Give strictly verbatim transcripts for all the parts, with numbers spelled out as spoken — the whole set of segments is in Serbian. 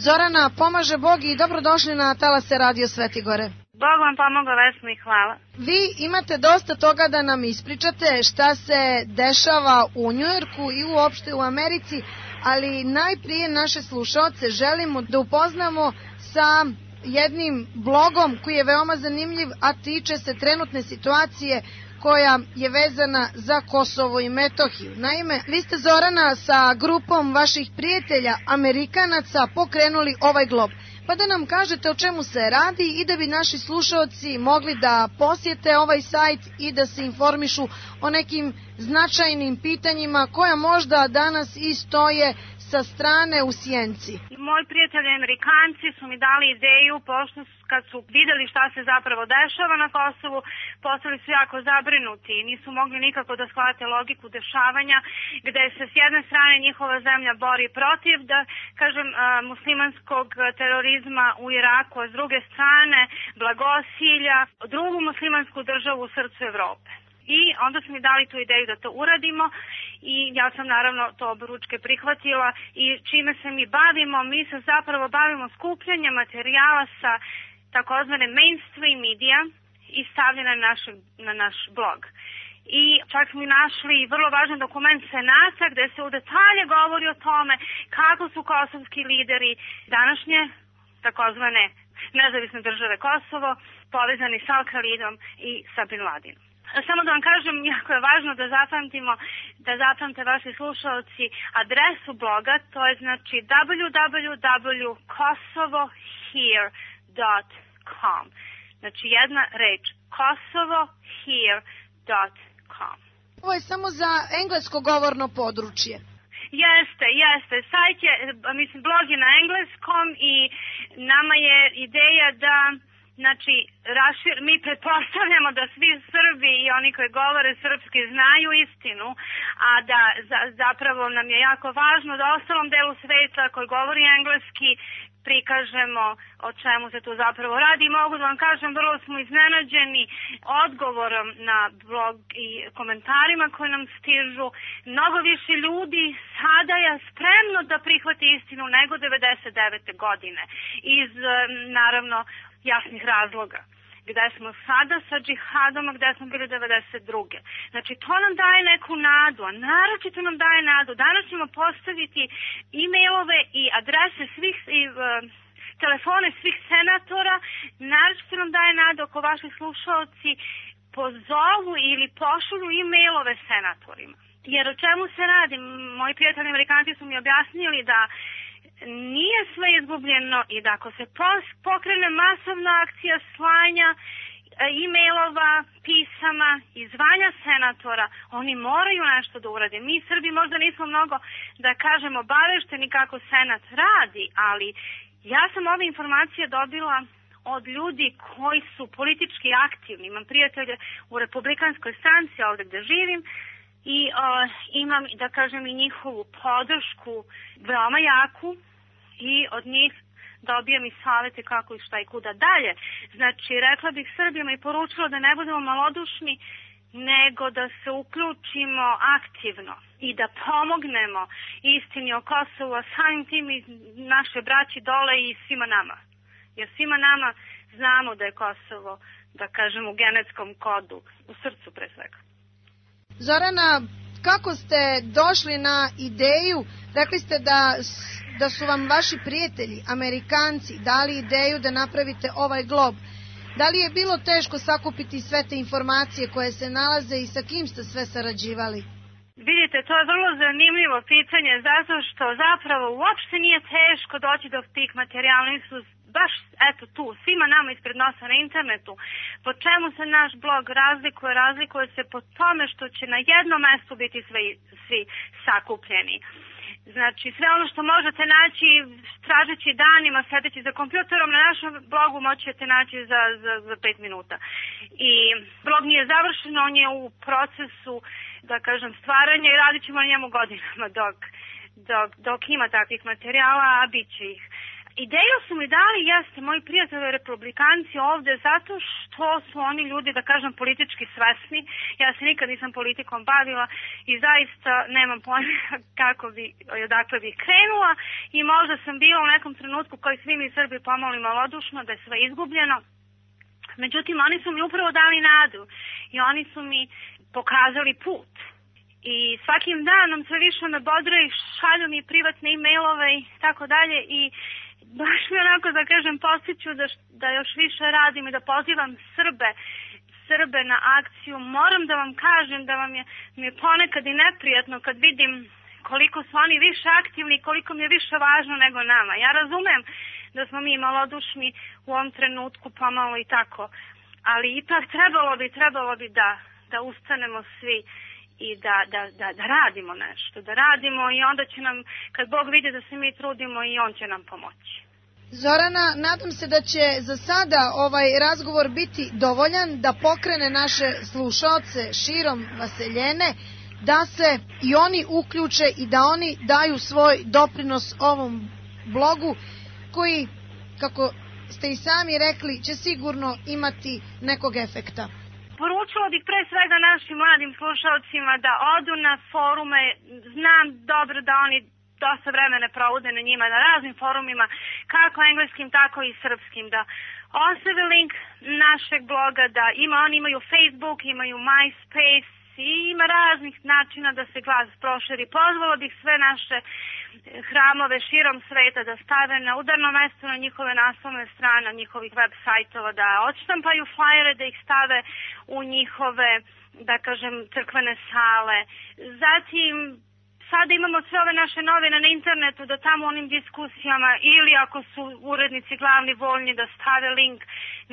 Zorana, pomaže Bog i dobrodošli na Talase Radio Svetigore. Bog vam pomogao, Vesno, i hvala. Vi imate dosta toga da nam ispričate šta se dešava u Njujorku i uopšte u Americi, ali najprije naše slušaoce želimo da upoznamo sa jednim blogom koji je veoma zanimljiv, a tiče se trenutne situacije koja je vezana za Kosovo i Metohiju. Naime, vi ste, Zorana, sa grupom vaših prijatelja Amerikanaca pokrenuli ovaj glob. Pa da nam kažete o čemu se radi i da bi naši slušaoci mogli da posjete ovaj sajt i da se informišu o nekim značajnim pitanjima koja možda danas i stoje sa strane u sjenci. Moji prijatelji Amerikanci su mi dali ideju, pošto kad su videli šta se zapravo dešava na Kosovu, postali su jako zabrinuti i nisu mogli nikako da shvate logiku dešavanja, gde se s jedne strane njihova zemlja bori protiv, da kažem, muslimanskog terorizma u Iraku, a s druge strane blagosilja drugu muslimansku državu u srcu Evrope. I onda su mi dali tu ideju da to uradimo i ja sam naravno to oboručke prihvatila i čime se mi bavimo, mi se zapravo bavimo skupljanjem materijala sa takozvane mainstream medija i stavljena na, na naš blog. I čak smo našli vrlo važan dokument Senata gde se u detalje govori o tome kako su kosovski lideri današnje takozvane nezavisne države Kosovo povezani sa Al-Qaidom i sa Bin Ladinom. Samo da vam kažem, jako je važno da zapamtimo, da zapamte vaši slušalci adresu bloga, to je znači w w w dot kosovo here dot com. Znači jedna reč, kosovo here dot com. Ovo je samo za englesko govorno područje. Jeste, jeste. Sajt je, mislim, blog je na engleskom i nama je ideja da znači, rašir, mi pretpostavljamo da svi Srbi i oni koji govore srpski znaju istinu, a da za, zapravo nam je jako važno da ostalom delu sveta koji govori engleski prikažemo o čemu se tu zapravo radi. I mogu da vam kažem, vrlo smo iznenađeni odgovorom na blog i komentarima koji nam stižu. Mnogo više ljudi sada je spremno da prihvati istinu nego devedeset devete godine. Iz, naravno, jasnih razloga. Gde smo sada sa džihadom, a gde smo bili devedeset druge. Znači, to nam daje neku nadu, a naročito nam daje nadu. Danas ćemo postaviti e-mailove i adrese svih, i uh, telefone svih senatora. Naročito nam daje nadu ako vaši slušalci pozovu ili pošalju e-mailove senatorima. Jer o čemu se radi? Moji prijatelji Amerikanci su mi objasnili da nije sve izgubljeno i da ako se pokrene masovna akcija slanja e-mailova, pisama i zvanja senatora, oni moraju nešto da urade. Mi Srbi možda nismo mnogo, da kažemo, obavešteni kako senat radi, ali ja sam ove informacije dobila od ljudi koji su politički aktivni. Imam prijatelje u republikanskoj stranci ovde gde živim i uh, imam, da kažem, i njihovu podršku veoma jaku i od njih dobijam i savete kako i šta i kuda dalje. Znači, rekla bih Srbima i poručila da ne budemo malodušni, nego da se uključimo aktivno i da pomognemo istini o Kosovu, a samim tim i naše braći dole i svima nama. Jer svima nama znamo da je Kosovo, da kažem, u genetskom kodu, u srcu pre svega. Zorana, kako ste došli na ideju? Rekli ste da, da su vam vaši prijatelji, Amerikanci, dali ideju da napravite ovaj glob. Da li je bilo teško sakupiti sve te informacije koje se nalaze i sa kim ste sve sarađivali? Vidite, to je vrlo zanimljivo pitanje, zato što zapravo uopšte nije teško doći do tih materijala, su baš eto tu, svima nama ispred nosa na internetu. Po čemu se naš blog razlikuje? Razlikuje se po tome što će na jednom mestu biti svi, svi sakupljeni. Znači, sve ono što možete naći tražeći danima, sedeći za kompjuterom, na našem blogu moćete naći za, za, za pet minuta. I blog nije završen, on je u procesu, da kažem, stvaranja i radit ćemo na njemu godinama dok, dok, dok ima takvih materijala, a bit će ih. Ideju su mi dali, jeste, moji prijatelji republikanci ovde, zato što su oni ljudi, da kažem, politički svesni. Ja se nikad nisam politikom bavila i zaista nemam pojma kako bi, odakle bi krenula i možda sam bila u nekom trenutku koji svi mi Srbi pomoli malodušno da je sve izgubljeno. Međutim, oni su mi upravo dali nadu i oni su mi pokazali put. I svakim danom sve više me bodre i šalju mi privatne e-mailove i tako dalje i baš mi onako da kažem postiću da, da još više radim i da pozivam Srbe, Srbe na akciju. Moram da vam kažem da vam je, mi je ponekad i neprijatno kad vidim koliko su oni više aktivni i koliko mi je više važno nego nama. Ja razumem da smo mi malodušni u ovom trenutku pomalo i tako, ali ipak trebalo bi, trebalo bi da, da ustanemo svi i da, da, da, da radimo nešto, da radimo i onda će nam, kad Bog vidi da se mi trudimo, i On će nam pomoći. Zorana, nadam se da će za sada ovaj razgovor biti dovoljan da pokrene naše slušaoce širom Vaseljene, da se i oni uključe i da oni daju svoj doprinos ovom blogu koji, kako ste i sami rekli, će sigurno imati nekog efekta. Poručila bih pre svega našim mladim slušalcima da odu na forume, znam dobro da oni dosta vremena provode na njima, na raznim forumima, kako engleskim, tako i srpskim, da ostave link našeg bloga, da ima, oni imaju Facebook, imaju MySpace i ima raznih načina da se glas proširi. Pozvala bih sve naše hramove širom sveta da stave na udarno mesto na njihove naslovne strane, njihovih web sajtova, da odštampaju flajere, da ih stave u njihove, da kažem, crkvene sale. Zatim, sada imamo sve ove naše novine na internetu, da tamo onim diskusijama ili ako su urednici glavni voljni da stave link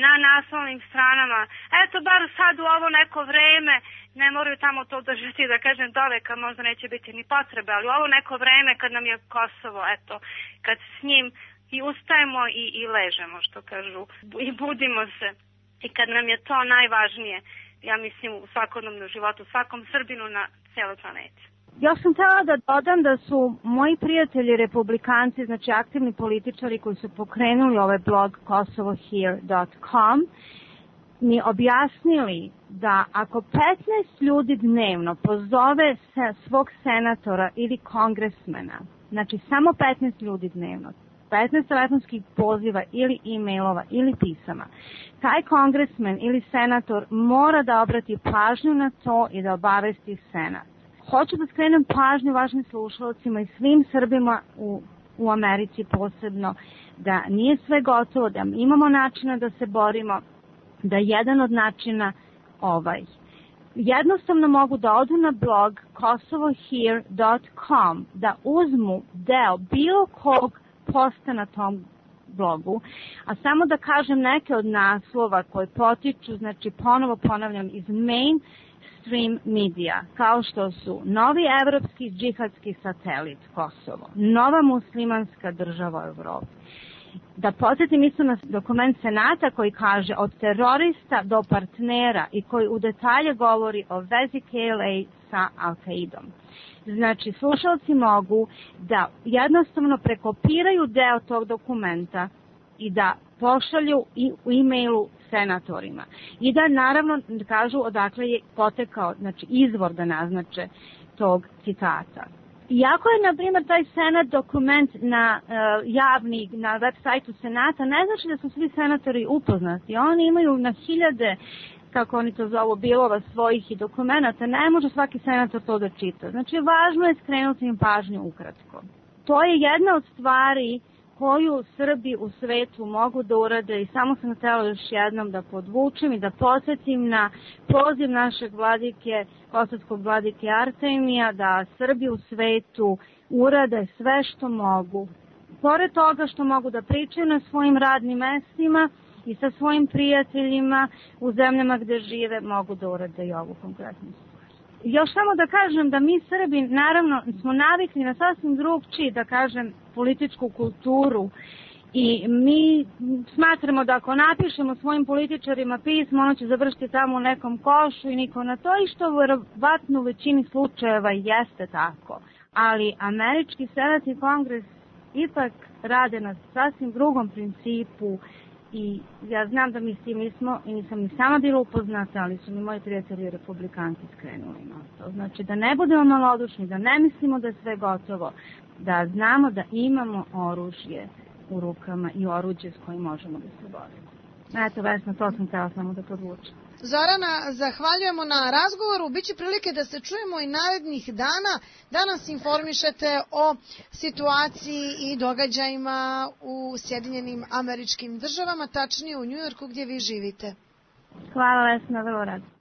na naslovnim stranama. Eto, bar sad u ovo neko vreme, ne moraju tamo to držati, da kažem, do veka, možda neće biti ni potrebe, ali u ovo neko vreme kad nam je Kosovo, eto, kad s njim i ustajemo i, i ležemo, što kažu, i budimo se. I kad nam je to najvažnije, ja mislim, u svakodnevnom životu, svakom Srbinu na cijeloj planeti. Ja sam htjela da dodam da su moji prijatelji republikanci, znači aktivni političari koji su pokrenuli ovaj blog kosovo here dot com, mi objasnili da ako petnaest ljudi dnevno pozove se svog senatora ili kongresmena, znači samo petnaest ljudi dnevno, petnaest telefonskih poziva ili e-mailova ili pisama, taj kongresmen ili senator mora da obrati pažnju na to i da obavesti senat. Hoću da skrenem pažnju važnim slušalcima i svim Srbima u, u Americi posebno, da nije sve gotovo, da imamo načina da se borimo, da jedan od načina ovaj. Jednostavno mogu da odu na blog kosovo here dot com, da uzmu deo bilo kog posta na tom blogu, a samo da kažem neke od naslova koje potiču, znači ponovo ponavljam, iz main stream media, kao što su novi evropski džihadski satelit Kosovo, nova muslimanska država u Evropi. Da podsjetim isto na dokument Senata koji kaže od terorista do partnera i koji u detalje govori o vezi K L A sa Al-Qaidom. Znači, slušalci mogu da jednostavno prekopiraju deo tog dokumenta i da pošalju i u e-mailu senatorima. I da naravno kažu odakle je potekao, znači izvor da naznače tog citata. Iako je, na primjer, taj senat dokument na uh, javni, na web sajtu Senata, ne znači da su svi senatori upoznati. Oni imaju na hiljade, kako oni to zovu, bilova svojih i dokumenta. Ne može svaki senator to da čita. Znači, važno je skrenuti im pažnju ukratko. To je jedna od stvari koju Srbi u svetu mogu da urade i samo sam htjela još jednom da podvučem i da podsjetim na poziv našeg vladike, kosovskog vladike Artemija, da Srbi u svetu urade sve što mogu. Pored toga što mogu da pričaju na svojim radnim mestima i sa svojim prijateljima u zemljama gde žive, mogu da urade i ovu konkretnu stvar. Još samo da kažem da mi Srbi naravno smo navikli na sasvim drugčiji, da kažem, političku kulturu i mi smatramo da ako napišemo svojim političarima pismo, ono će završiti tamo u nekom košu i niko na to, i što verovatno u većini slučajeva jeste tako. Ali američki senat i kongres ipak rade na sasvim drugom principu i ja znam da mi s tim nismo i nisam ni sama bila upoznata, ali su mi moji prijatelji republikanci skrenuli na to. Znači da ne budemo malodušni, da ne mislimo da je sve gotovo, da znamo da imamo oružje u rukama i oruđe s kojim možemo da se borimo. Eto, Vesna, to sam htjela samo da podvučem. Zorana, zahvaljujemo na razgovoru. Biće prilike da se čujemo i narednih dana, da nas informišete o situaciji i događajima u Sjedinjenim Američkim Državama, tačnije u Njujorku gdje vi živite. Hvala, Vesna, vrlo rado.